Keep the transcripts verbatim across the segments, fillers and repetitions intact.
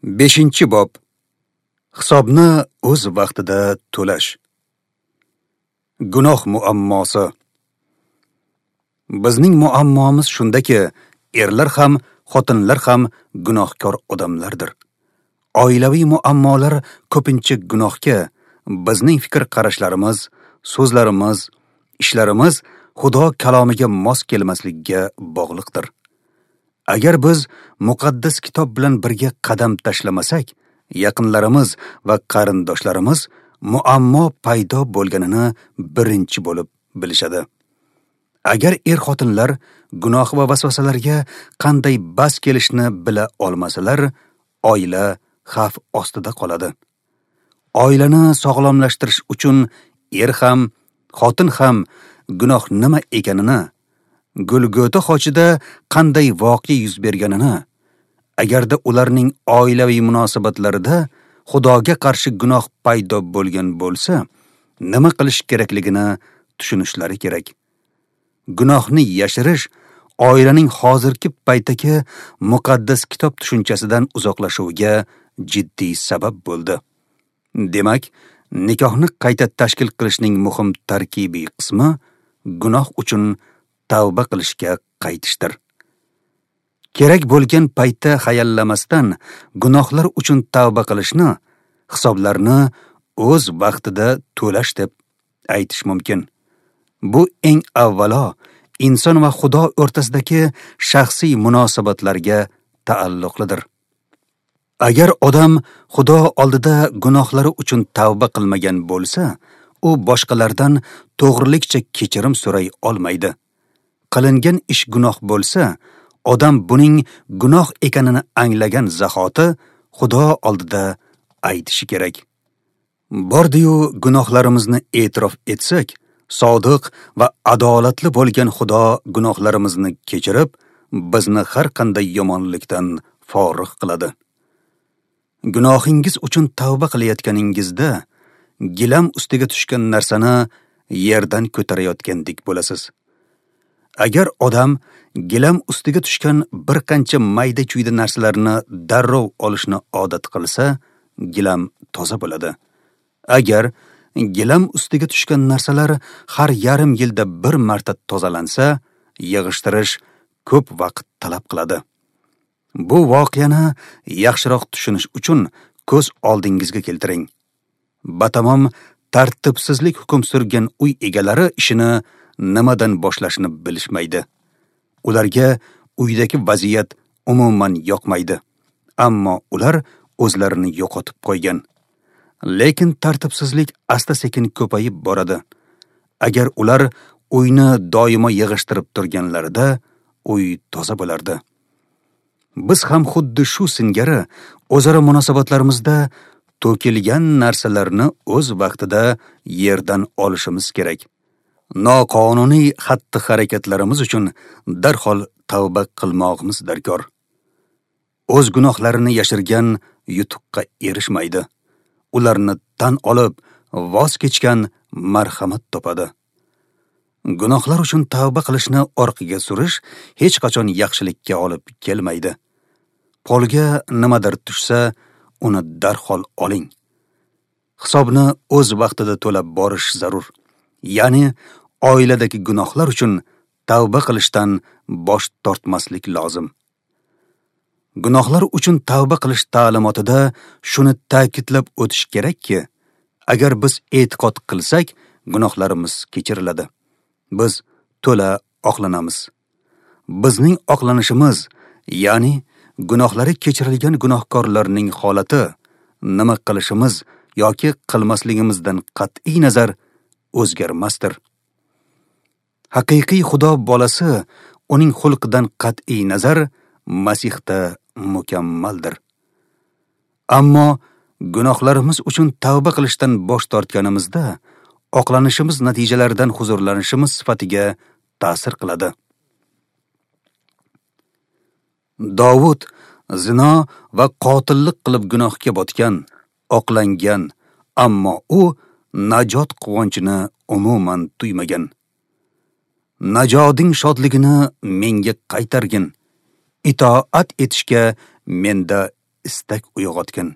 Beshinchi bob. Hisobni o'z vaqtida to'lash. Gunoh muammosi. Bizning muammomiz shundaki, erlar ham, xotinlar ham gunohkor odamlardir. Oilaviy muammolar ko'pincha gunohga, bizning fikr qarashlarimiz, so'zlarimiz, ishlarimiz Xudo kalomiga mos kelmasligiga bog'liqdir. Agar biz muqaddas kitob bilan birga qadam tashlamasak, yaqinlarimiz va qarindoshlarimiz muammo paydo bo'lganini birinchi bo'lib bilishadi. Agar er-xotinlar gunoh va vasvasalarga qanday bas kelishni bila olmasalar, oila xavf ostida qoladi. Oilani sog'lomlashtirish uchun er ham, xotin ham gunoh nima ekanini, Golgota xochida qanday voqea yuz berganini, agarda ularning oilaviy munosabatlarida Xudoga qarshi gunoh paydo bo'lgan bo'lsa, nima qilish kerakligini tushunishlari kerak. Gunohni yashirish oilaning hozirgi paytdagi muqaddas kitob tushunchasidan uzoqlashuviga jiddiy sabab bo'ldi. Demak, nikohni qayta tashkil qilishning muhim tarkibiy qismi gunoh uchun tavba qilishga qaytishdir. Kerak bo'lgan paytda hayallamasdan gunohlar uchun tavba qilishni, hisoblarni o'z vaqtida to'lash deb aytish mumkin. Bu eng avvalo inson va Xudo o'rtasidagi shaxsiy munosabatlarga taalluqlidir. Agar odam Xudo oldida gunohlari uchun tavba qilmagan bo'lsa, u boshqalardan to'g'rilikcha kechirim so'ray olmaydi. Qilingan ish gunoh bo'lsa, odam buning gunoh ekanini anglagan zahoti Xudo oldida aytishi kerak. Bordi-yu gunohlarimizni e'tirof etsak, sodiq va adolatli bo'lgan Xudo gunohlarimizni kechirib, bizni har qanday yomonlikdan forig' qiladi. Gunohingiz uchun tavba qilayotganingizda gilam ustiga tushgan narsani yerdan ko'tarayotgandek bo'lasiz. Agar odam gilam ustiga tushgan bir qancha mayda-chuyda narsalarni darrov olishni odat qilsa, gilam toza bo'ladi. Agar gilam ustiga tushgan narsalar har yarim yilda bir marta tozalansa, yig'ishtirish ko'p vaqt talab qiladi. Bu voqeani yaxshiroq tushunish uchun ko'z oldingizga keltiring. Batamom tartibsizlik hukm surgan uy egalari ishini nimadan boshlashni bilishmaydi. Ularga uydagi vaziyat umuman yoqmaydi, ammo ular o'zlarini yo'qotib qo'ygan. Lekin tartibsizlik asta-sekin ko'payib boradi. Agar ular uyni doimo yig'ishtirib turganlarida, uy toza bo'lardi. Biz ham xuddi shu singari o'zaro munosabatlarimizda to'kilgan narsalarni o'z vaqtida yerdan olishimiz kerak. Noqonuniy xatti-harakatlarimiz uchun darhol tavba qilmoqimiz darkor. O'z gunohlarini yashirgan yutuqqa erishmaydi. Ularni tan olib, voz kechgan marhamat topadi. Gunohlar uchun tavba qilishni orqaga surish hech qachon yaxshilikka olib kelmaydi. Polga nimadir tushsa, uni darhol oling. Hisobni o'z vaqtida to'lab borish zarur. Ya'ni oiladagi gunohlar uchun tavba qilishdan bosh tortmaslik lozim. Gunohlar uchun tavba qilish ta'limotida shuni ta'kidlab o'tish kerakki, agar biz e'tiqod qilsak, gunohlarimiz kechiriladi. Biz to'la oqlanamiz. Bizning oqlanishimiz, ya'ni gunohlari kechirilgan gunohkorlarning holati, nima qilishimiz yoki qilmasligimizdan qat'iy nazar o'zgarmasdir. Haqiqiy Xudo bolasi uning xulqidan qat'iy nazar Masihda mukammaldir. Ammo gunohlarimiz uchun tavba qilishdan bosh tortganimizda, oqlanishimiz natijalaridan huzurlanishimiz sifatiga ta'sir qiladi. Dovud zino va qotillik qilib gunohga botgan, oqlangan, ammo u najot quvonchini umuman tuymagan. Najoding shodligini menga qaytargin, itoat etishga menda istak uyg'otgan.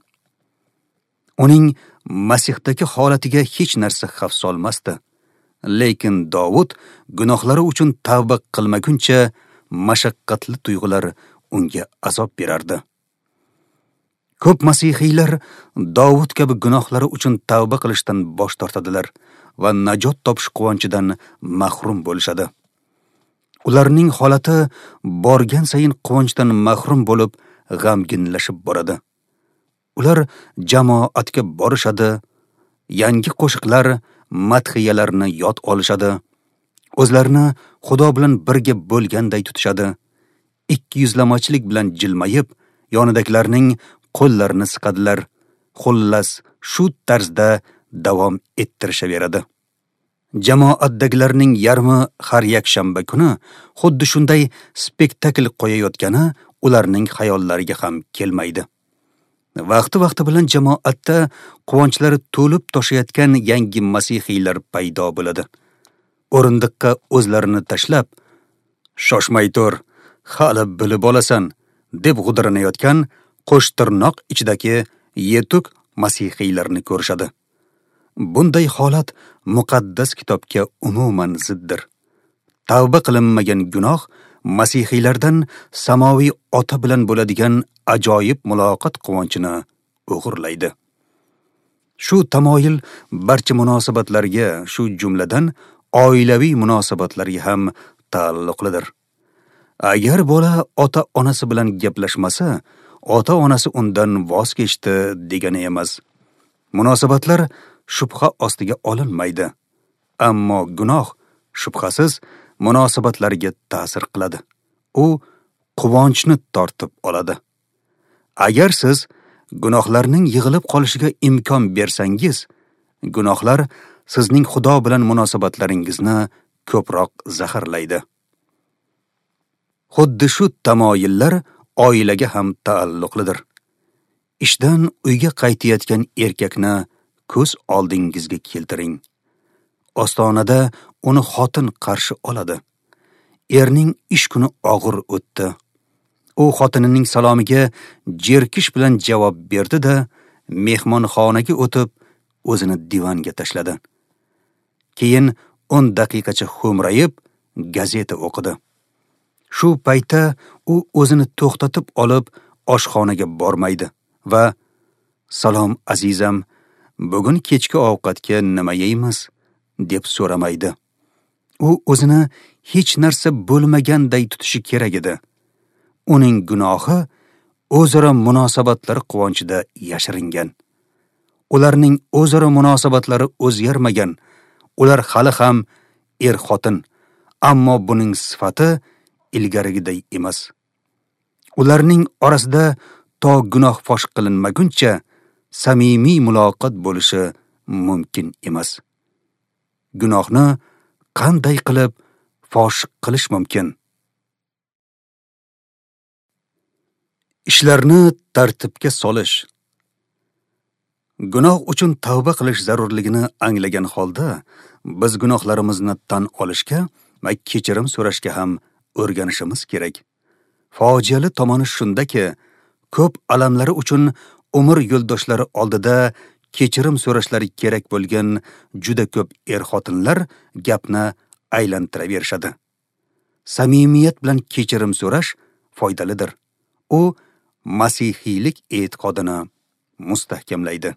Uning Masihdagi holatiga hech narsa xavf solmasdi. Lekin Dovud gunohlari uchun tavba qilmaguncha mashaqqatli tuyg'ular unga azob berardi. Ko'p masihiylar Dovud kabi gunohlari uchun tavba qilishdan bosh tortadilar va najot topish quvonchidan mahrum bo'lishadi. Ularning holati borgan sayin quvonchdan mahrum bo'lib, g'amginlashib boradi. Ular jamoatga borishadi, yangi qo'shiqlar, madhiyalarni yod olishadi, o'zlarini Xudo bilan birga bo'lganday tutishadi, ikki yuzlamachilik bilan jilmayib, yonidagilarning qo'llarini siqadilar. Xullas, shu tarzda davom ettirishaveradi. Jamoatdagilarning yarmi har yakshanba kuni xuddi shunday spektakl qo'yayotgani ularning xayollariga ham kelmaydi. Vaqti-vaqti bilan jamoatda quvonchlari to'lib toshayotgan yangi masihiylar paydo bo'ladi. O'rindiqqa o'zlarini tashlab, "Shoshmay tur, hali bilib olasan" deb g'udiranayotgan qo'shtirnoq ichidagi yetuk masihiylarni ko'rishadi. Bunday holat muqaddas kitobga umuman ziddir. Tavba qilinmagan gunoh masihiylardan samoviy ota bilan bo'ladigan ajoyib muloqot quvonchini o'g'irlaydi. Shu tamoyil barcha munosabatlarga, shu jumladan oilaviy munosabatlarga ham taalluqlidir. Agar bola ota-onasi bilan gaplashmasa, ota-onasi undan voz kechdi degani emas. Munosabatlar shubha ostiga olinmaydi. Ammo gunoh shubhasiz munosabatlarga ta'sir qiladi. U quvonchni tortib oladi. Agar siz gunohlarning yig'ilib qolishiga imkon bersangiz, gunohlar sizning Xudo bilan munosabatlaringizni ko'proq zaharlaydi. Xuddi shu tamoyillar oilaga ham taalluqlidir. Ishdan uyga qaytayotgan erkakni ko'z oldingizga keltiring. Ostonada uni xotin qarshi oladi. Erning ish kuni og'ir o'tdi. U xotinining salomiga jerkish bilan javob berdi-da, mehmonxonaga o'tib, o'zini divanga tashladi. Keyin o'n daqiqacha xo'mrayib gazeta o'qidi. Shu paytda u o'zini to'xtatib olib, oshxonaga bormaydi va "Salom azizam, bugun kechki ovqatga nima yeymiz?" deb so'ramaydi. U o'zini hech narsa bo'lmaganday tutishi kerak edi. Uning gunohi o'zaro munosabatlar quvonchida yashiringan. Ularning o'zaro munosabatlari o'zgarmagan. Ular hali ham er-xotin, ammo buning sifati ilgarigiday emas. Ularning orasida to gunoh fosh qilinmaguncha samimiy muloqot bo'lishi mumkin emas. Gunohni qanday qilib fosh qilish mumkin? Ishlarni tartibga solish. Gunoh uchun tavba qilish zarurligini anglagan holda biz gunohlarimizni tan olishga va kechirim so'rashga ham o'rganishimiz kerak. Fojiali tomoni shundaki, ko'p alamlari uchun umr yo'ldoshlari oldida kechirim so'rashlari kerak bo'lgan juda ko'p er-xotinlar gapni aylantiraverishadi. Samimiyat bilan kechirim so'rash foydalidir. U masihiylik e'tiqodini mustahkamlaydi.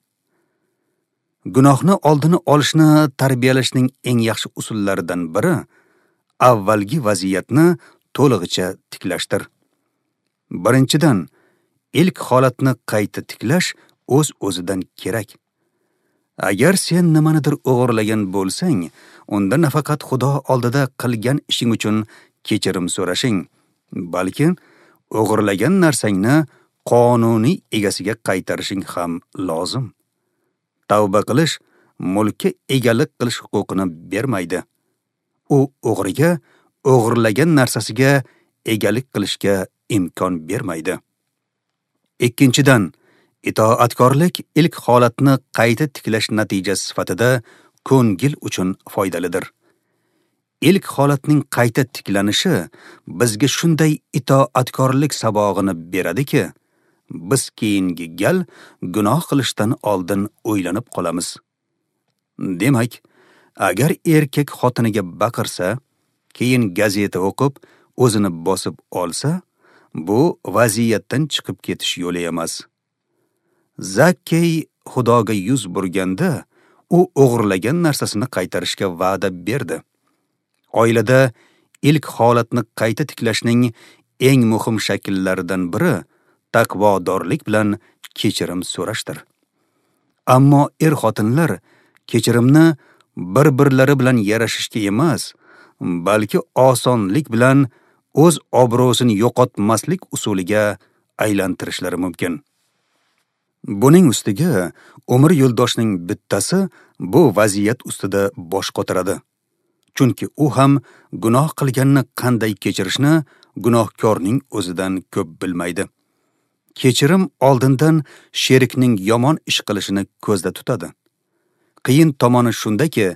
Gunohni oldini olishni tarbiyalashning eng yaxshi usullaridan biri avvalgi vaziyatni to'lig'icha tiklashdir. Birinchidan, ilk holatni qayta tiklash o'z-o'zidan kerak. Agar sen nimanidir o'g'irlagan bo'lsang, unda nafaqat Xudo oldida qilgan ishing uchun kechirim so'rashing, balki o'g'irlagan narsangni qonuniy egasiga qaytarishing ham lozim. Tavba qilish mulkka egalik qilish huquqini bermaydi. U o'g'riga o'g'irlagan narsasiga egalik qilishga imkon bermaydi. Ikkinchidan, itoatkorlik ilk holatni qayta tiklash natijasi sifatida ko'ngil uchun foydalidir. Ilk holatning qayta tiklanishi bizga shunday itoatkorlik sabog'ini beradiki, biz keyingi gal gunoh qilishdan oldin o'ylanib qolamiz. Demak, agar erkak xotiniga baqirsa, keyin gazeta o'qib, o'zini bosib olsa, bu vaziyatdan chiqib ketish yo'li emas. Zakkey Xudoga yuz burganda, u o'g'irlagan narsasini qaytarishga va'da berdi. Oilada ilk holatni qayta tiklashning eng muhim shakllaridan biri taqvodorlik bilan kechirim so'rashdir. Ammo er-xotinlar kechirimni bir-birlari bilan yarashishga emas, balki osonlik bilan o'z obro'sini yo'qotmaslik usuliga aylantirishlari mumkin. Buning ustiga umr yo'ldoshining bittasi bu vaziyat ustida bosh qotiradi. Chunki u ham gunoh qilganni qanday kechirishni gunohkorning o'zidan ko'p bilmaydi. Kechirim oldindan sherikning yomon ish qilishini ko'zda tutadi. Qiyin tomoni shundaki,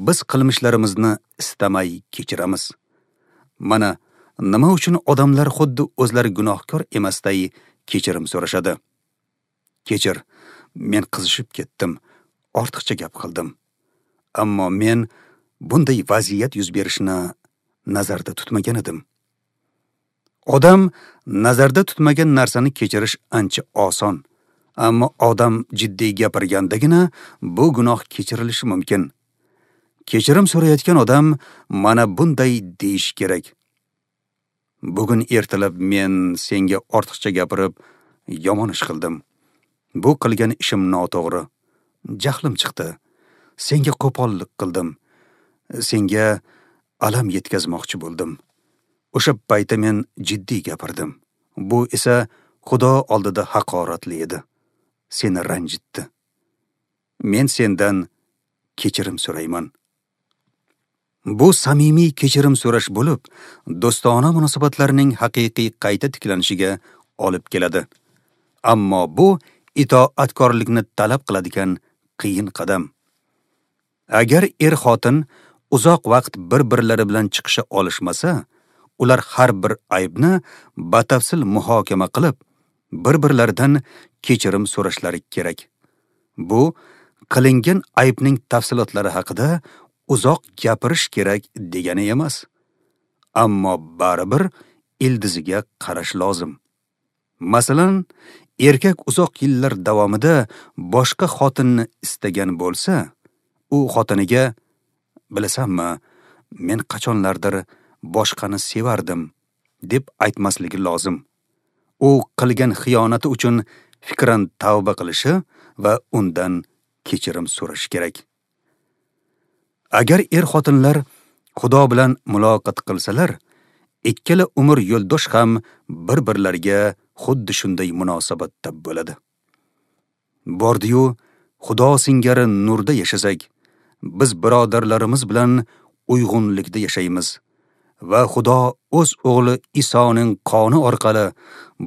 biz qilmishlarimizni istamay kechiramiz. Mana nima uchun odamlar xuddi o'zlari gunohkor emasday kechirim so'rashadi. Kechir, men qizishib ketdim, ortiqcha gap qildim. Ammo men bunday vaziyat yuz berishini nazarda tutmagan edim. Odam nazarda tutmagan narsani kechirish ancha oson. Ammo odam jiddiy gapirgandagina bu gunoh kechirilishi mumkin. Kechirim so'rayotgan odam mana bunday deyish kerak. Bugun ertalab men senga ortiqcha gapirib yomon ish qildim. Bu qilgan ishim noto'g'ri. Jahlim chiqdi. Senga qo'pollik qildim. Senga alam yetkazmoqchi bo'ldim. O'sha paytda men jiddiy gapirdim. Bu esa Xudo oldida haqoratli edi. Seni ranjitdi. Men sendan kechirim so'rayman. Bu samimiy kechirim so'rash bo'lib, do'stona munosabatlarning haqiqiy qayta tiklanishiga olib keladi. Ammo bu itoatkorlikni talab qiladigan qiyin qadam. Agar er-xotin uzoq vaqt bir-birlari bilan chiqisha olishmasa, ular har bir aybni batafsil muhokama qilib, bir-birlaridan kechirim so'rashlari kerak. Bu qilingan aybning tafsilotlari haqida uzoq gapirish kerak degani emas. Ammo baribir ildiziga qarash lozim. Masalan, erkak uzoq yillar davomida boshqa xotinni istagan bo'lsa, u xotiniga: "Bilasanmi, men qachonlardir boshqani sevardim" deb aytmasligi lozim. U qilgan xiyonati uchun fikran tavba qilishi va undan kechirim so'rashi kerak. Agar er-xotinlar Xudo bilan muloqot qilsalar, ikkala umr yo'ldosh ham bir-birlariga xuddi shunday munosabatda bo'ladi. Bordi-yu, Xudo singari nurda yashasak, biz birodarlarimiz bilan uyg'unlikda yashaymiz va Xudo o'z o'g'li Isoning qoni orqali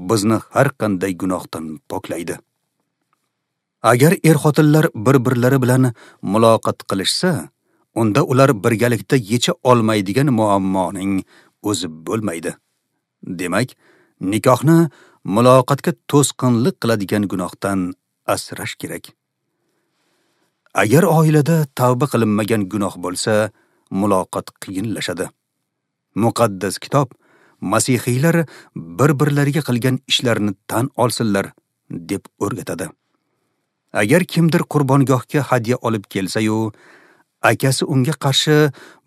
bizni har qanday gunohdan poklaydi. Agar er-xotinlar bir-birlari bilan muloqot qilishsa, unda ular birgalikda yecha olmaydigan muammoning o'zi bo'lmaydi. Demak, nikohni muloqotga to'sqinlik qiladigan gunohdan asrash kerak. Agar oilada tavba qilinmagan gunoh bo'lsa, muloqot qiyinlashadi. Muqaddas kitob masihiylar bir-birlariga qilgan ishlarini tan olsinlar deb o'rgatadi. Agar kimdir qurbongohga hadya olib kelsa-yu, akasi unga qarshi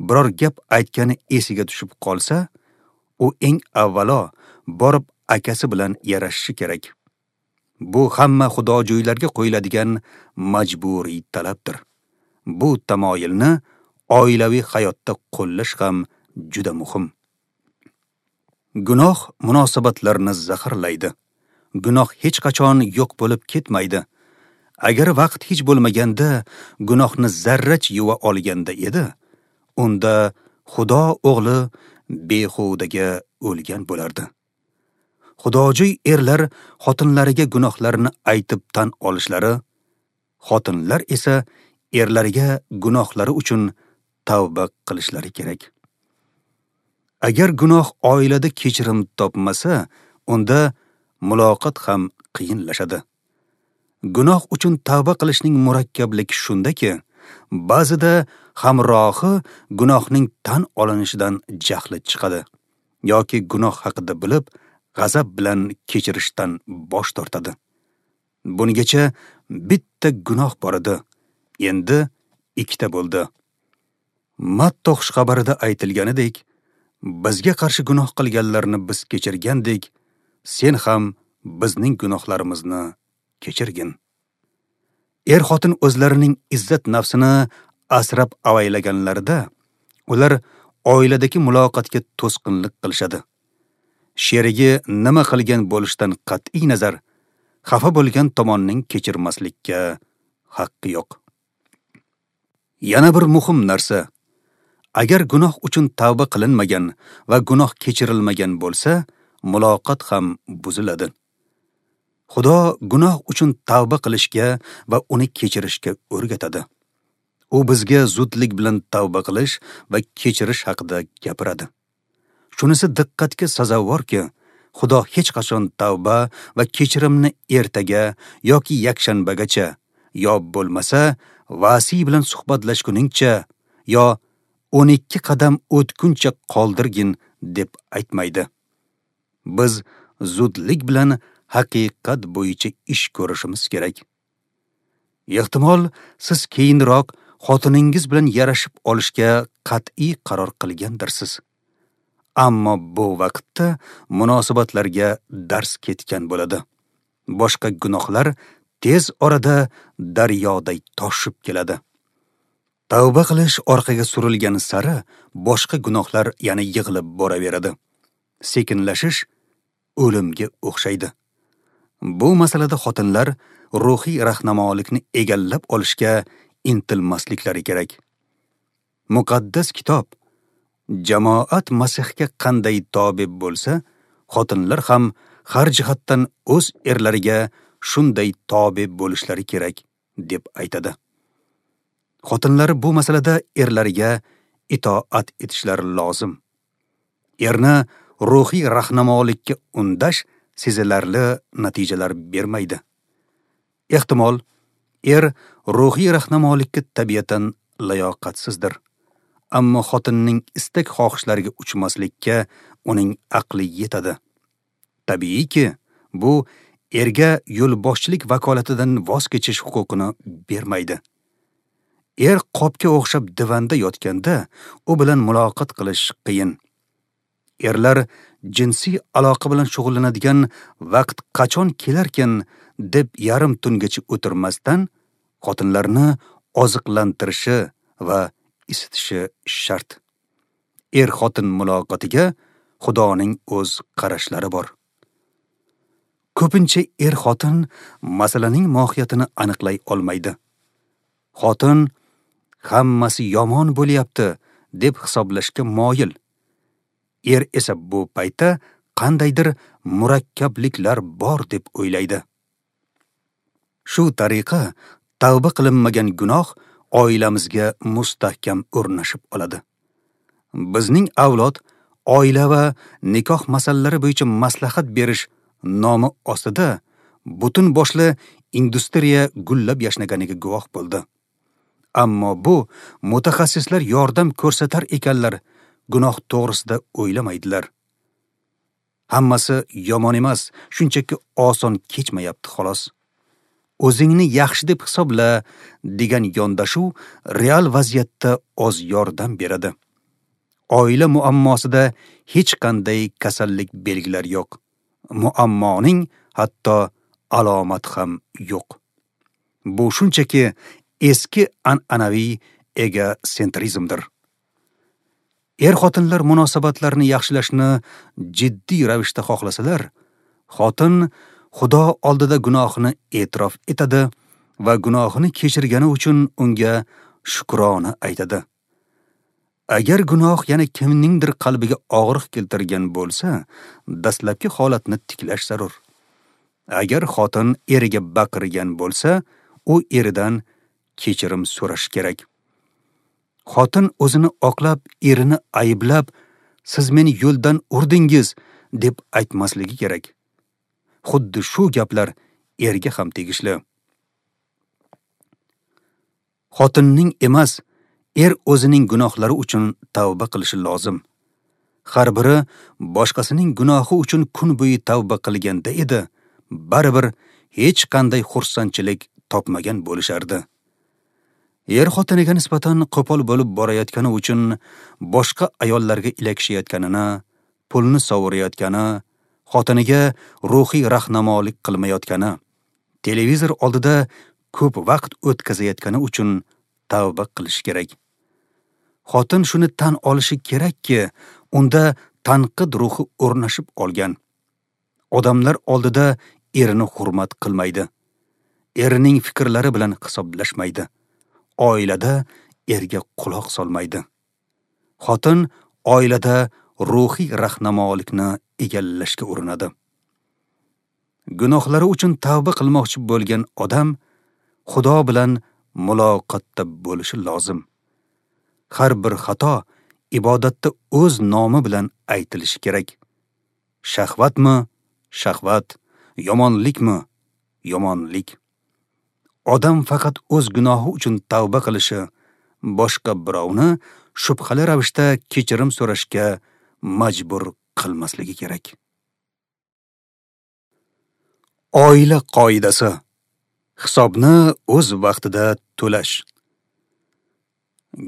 biror gap aytgani esiga tushib qolsa, u eng avvalo borib akasi bilan yarashishi kerak. Bu hamma xudojo'ylarga qo'yiladigan majburiy talabdir. Bu tamoyilni oilaviy hayotda qo'llash ham juda muhim. Gunoh munosabatlarni zaharlaydi. Gunoh hech qachon yo'q bo'lib ketmaydi. Agar vaqt hech bo'lmaganda gunohni zarrach yuva olganda edi, unda Xudo o'g'li behudaga o'lgan bo'lardi. Xudojo'y erlar xotinlariga gunohlarini aytib tan olishlari, xotinlar esa erlariga gunohlari uchun tavba qilishlari kerak. Agar gunoh oilada kechirim topmasa, unda muloqot ham qiyinlashadi. Gunoh uchun tavba qilishning murakkabligi shundaki, ba'zida hamrohi gunohning tan olinishidan jahli chiqadi yoki gunoh haqida bilib, g'azab bilan kechirishdan bosh tortadi. Bungacha bitta gunoh bor edi, endi ikkita bo'ldi. Matto xushxabarida aytilganidek, bizga qarshi gunoh qilganlarni biz kechirgandek, sen ham bizning gunohlarimizni kechirgin. Er-xotin o'zlarining izzat nafsini asrab avaylaganlarida, ular oiladagi muloqotga to'sqinlik qilishadi. Sherigi nima qilgan bo'lishidan qat'iy nazar, xafa bo'lgan tomonning kechirmaslikka haqqi yo'q. Yana bir muhim narsa, agar gunoh uchun tavba qilinmagan va gunoh kechirilmagan bo'lsa, muloqot ham buziladi. Xudo gunoh uchun tavba qilishga va uni kechirishga o'rgatadi. U bizga zudlik bilan tavba qilish va kechirish haqida gapiradi. Shunisi diqqatga sazovorki, Xudo hech qachon tavba va kechirimni ertaga yoki yakshanbagacha, yo bo'lmasa vasiy bilan suhbatlashguningcha yo o'n ikki qadam o'tguncha qoldirgin deb aytmaydi. Biz zudlik bilan haqiqat bo'yicha ish ko'rishimiz kerak. Ehtimol siz keyinroq xotiningiz bilan yarashib olishga qat'iy qaror qilgandirsiz. Ammo bu vaqtda munosabatlarga dars ketgan bo'ladi. Boshqa gunohlar tez orada daryoday toshib keladi. Tavba qilish orqaga surilgani sari boshqa gunohlar yana yig'ilib boraveradi. Sekinlashish o'limga o'xshaydi. Bu masalada xotinlar ruhiy rahnamolikni egallab olishga intilmasliklari kerak. Muqaddas kitob jamoat Masihga qanday tobe bo'lsa, xotinlar ham har jihatdan o'z erlariga shunday tobe bo'lishlari kerak deb aytadi. Xotinlar bu masalada erlariga itoat etishlari lozim. Erni ruhiy rahnamolikka undash sezilarli natijalar bermaydi. Ehtimol, er ruhiy rahnamolikka tabiatan layoqatsizdir. Ammo xotinning istak xohishlariga uchmaslikka uning aqli yetadi. Tabiiyki, bu erga yo'lboshchilik vakolatidan voz kechish huquqini bermaydi. Er qopga o'xshab divanda yotganda u bilan muloqot qilish qiyin. Erlar jinsiy aloqa bilan shug'ullanadigan vaqt qachon kelarkan deb yarim tungacha o'tirmasdan xotinlarni oziqlantirishi va isitishi shart. Er-xotin muloqotiga Xudoning o'z qarashlari bor. Ko'pincha er-xotin masalaning mohiyatini aniqlay olmaydi. Xotin hammasi yomon bo'lyapti deb hisoblashga moyil. Er esa bu paytda qandaydir murakkabliklar bor deb o'ylaydi. Shu tariqa tavba qilinmagan gunoh oilamizga mustahkam o'rnashib oladi. Bizning avlod oila va nikoh masalalari bo'yicha maslahat berish nomi ostida butun boshli industriya gullab yashnaganiga guvoh bo'ldi. Ammo bu mutaxassislar yordam ko'rsatar ekanlar, gunoh to'g'risida o'ylamaydilar. Hammasi yomon emas, shunchaki oson kechmayapti xolos. O'zingni yaxshi deb hisobla degan yondashuv real vaziyatda oz yordam beradi. Oila muammosida hech qanday kasallik belgilari yo'q. Muammoning hatto alomati ham yo'q. Bu shunchaki eski an'anaviy egosentrizmdir. Er-xotinlar munosabatlarini yaxshilashni jiddiy ravishda xohlasalar, xotin Xudo oldida gunohini e'tirof etadi va gunohini kechirgani uchun unga shukrona aytadi. Agar gunoh yana kimningdir qalbiga og'riq keltirgan bo'lsa, dastlabki holatni tiklash zarur. Agar xotin eriga baqirgan bo'lsa, u eridan kechirim so'rash kerak. Xotin o'zini oqlab, erini ayblab, "Siz meni yo'ldan urdingiz" deb aytmasligi kerak. Xuddi shu gaplar erga ham tegishli. Xotinning emas, er o'zining gunohlari uchun tavba qilishi lozim. Har biri boshqasining gunohi uchun kun bo'yi tavba qilganda edi, baribir hech qanday xursandchilik topmagan bo'lishardi. Er xotiniga nisbatan qo'pol bo'lib borayotgani uchun boshqa ayollarga ilakishayotganini, pulni sovurayotgani, xotiniga ruhiy rahnamolik qilmayotgani, televizor oldida ko'p vaqt o'tkazayotgani uchun tavba qilish kerak. Xotin shuni tan olishi kerakki, unda tanqid ruhi o'rnashib olgan. Odamlar oldida erini hurmat qilmaydi. Erining fikrlari bilan hisoblashmaydi. Oilada erga quloq solmaydi. Xotin oilada ruhiy rahnamolikni egallashga urinadi. Gunohlari uchun tavba qilmoqchi bo'lgan odam Xudo bilan muloqotda bo'lishi lozim. Har bir xato ibodatda o'z nomi bilan aytilishi kerak. Shahvatmi? Shahvat. Yomonlikmi? Yomonlik. Odam faqat o'z gunohi uchun tavba qilishi, boshqa birovni shubhali ravishda kechirim so'rashga majbur qilmasligi kerak. Oila qoidasi: hisobni o'z vaqtida to'lash.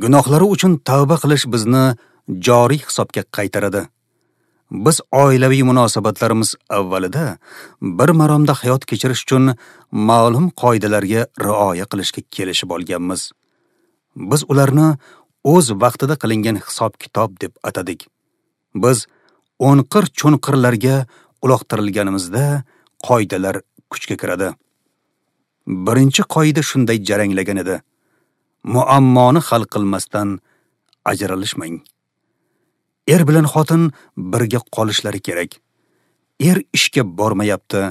Gunohlari uchun tavba qilish bizni joriy hisobga qaytaradi. Biz oilaviy munosabatlarimiz avvalida bir maromda hayot kechirish uchun ma'lum qoidalarga rioya qilishga kelishib olganmiz. Biz ularni o'z vaqtida qilingan hisob-kitob deb atadik. Biz o'nqir-cho'nqirlarga uloqtirilganimizda qoidalar kuchga kiradi. Birinchi qoida shunday jaranglagan edi: muammoni hal qilmasdan ajralishmang. Er bilan xotin birga qolishlari kerak. Er ishga bormayapti,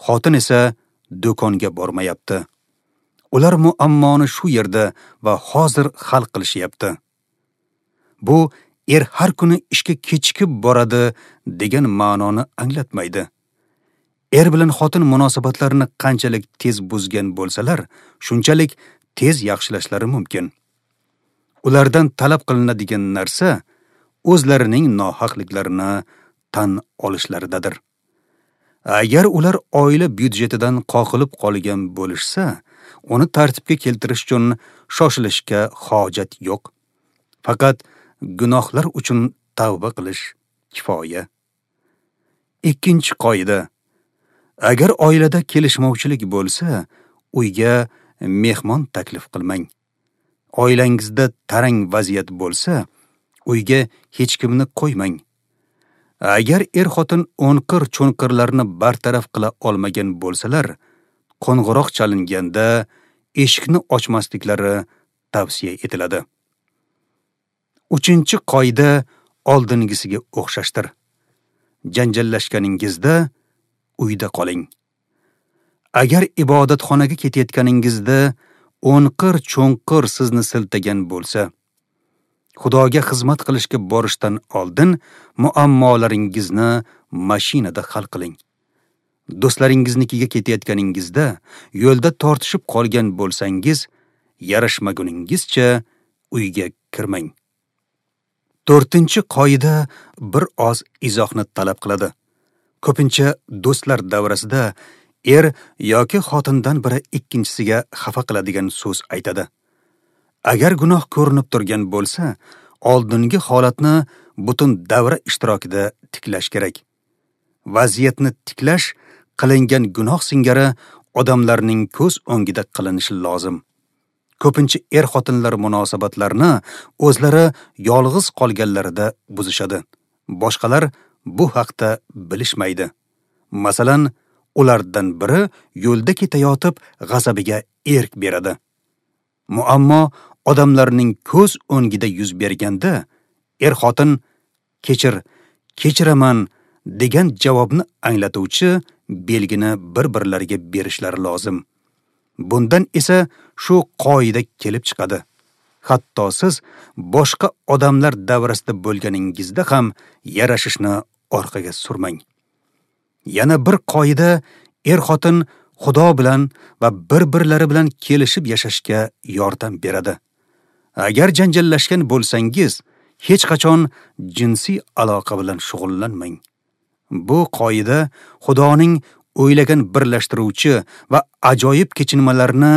xotin esa do'konga bormayapti. Ular muammoni shu yerda va hozir hal qilishyapti. Bu er har kuni ishga kechikib boradi degan ma'noni anglatmaydi. Er bilan xotin munosabatlarini qanchalik tez buzgan bo'lsalar, shunchalik tez yaxshilashlari mumkin. Ulardan talab qilinadigan narsa o'zlarining nohaqliklarini tan olishlaridadir. Agar ular oila byudjetidan qoqilib qolgan bo'lishsa, uni tartibga keltirish uchun shoshilishga hojat yo'q. Faqat gunohlar uchun tavba qilish kifoya. Ikkinchi qoida: agar oilada kelishmovchilik bo'lsa, uyga mehmon taklif qilmang. Oilangizda tarang vaziyat bo'lsa, uyga hech kimni qo'ymang. Agar er-xotin o'nqir-cho'nqirlarni bartaraf qila olmagan bo'lsalar, qo'ng'iroq chalinganda eshikni ochmasliklari tavsiya etiladi. Uchinchi qoida oldingisiga o'xshashdir. Janjallashganingizda uyda qoling. Agar ibodatxonaga ketayotganingizda o'nqir-cho'nqir sizni siltagan bo'lsa, Xudoga xizmat qilishga borishdan oldin muammolaringizni mashinada hal qiling. Do'stlaringiznikiga ketayotganingizda yo'lda tortishib qolgan bo'lsangiz, yarashmaguningizcha uyga kirmang. To'rtinchi qoida bir oz izohni talab qiladi. Ko'pincha do'stlar davrasida er yoki xotindan biri ikkinchisiga xafa qiladigan so'z aytadi. Agar gunoh ko'rinib turgan bo'lsa, oldingi holatni butun davra ishtirokida tiklash kerak. Vaziyatni tiklash qilingan gunoh singari odamlarning ko'z o'ngida qilinishi lozim. Ko'pincha er-xotinlar munosabatlarini o'zlari yolg'iz qolganlarida buzishadi. Boshqalar bu haqda bilishmaydi. Masalan, ulardan biri yo'lda ketayotib g'azabiga erk beradi. Muammo odamlarning ko'z o'ngida yuz berganda er-xotin kechir, kechiraman degan javobni anglatuvchi belgini bir-birlariga berishlari lozim. Bundan esa shu qoida kelib chiqadi. Hatto siz boshqa odamlar davrasida bo'lganingizda ham yarashishni orqaga surmang. Yana bir qoida er-xotin Xudo bilan va bir-birlari bilan kelishib yashashga yordam beradi. Agar janjallashgan bo'lsangiz, hech qachon jinsiy aloqa bilan shug'ullanmang. Bu qoida Xudoning o'ylagan birlashtiruvchi va ajoyib kechinmalarni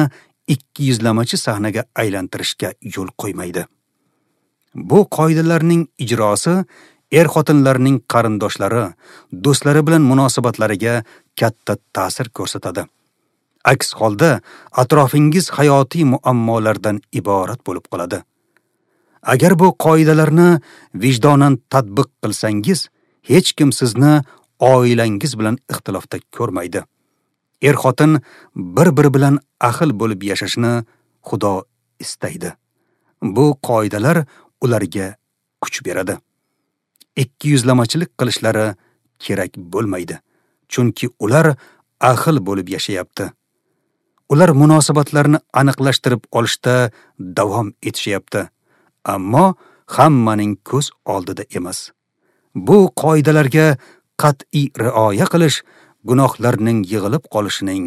ikki yuzlamachi sahnaga aylantirishga yo'l qo'ymaydi. Bu qoidalarning ijrosi er-xotinlarning qarindoshlari, do'stlari bilan munosabatlariga katta ta'sir ko'rsatadi. Aks holda atrofingiz hayotiy muammolardan iborat bo'lib qoladi. Agar bu qoidalarni vijdonan tatbiq qilsangiz, hech kim sizni oilangiz bilan ixtilofda ko'rmaydi. Er-xotin bir-biri bilan ahil bo'lib yashashni Xudo istaydi. Bu qoidalar ularga kuch beradi. Ikki yuzlamachilik qilishlari kerak bo'lmaydi, chunki ular ahil bo'lib yashayapti. Ular munosabatlarni aniqlashtirib olishda davom etishyapti, ammo hammaning ko'z oldida emas. Bu qoidalarga qat'iy rioya qilish gunohlarning yig'ilib qolishining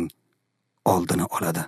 oldini oladi.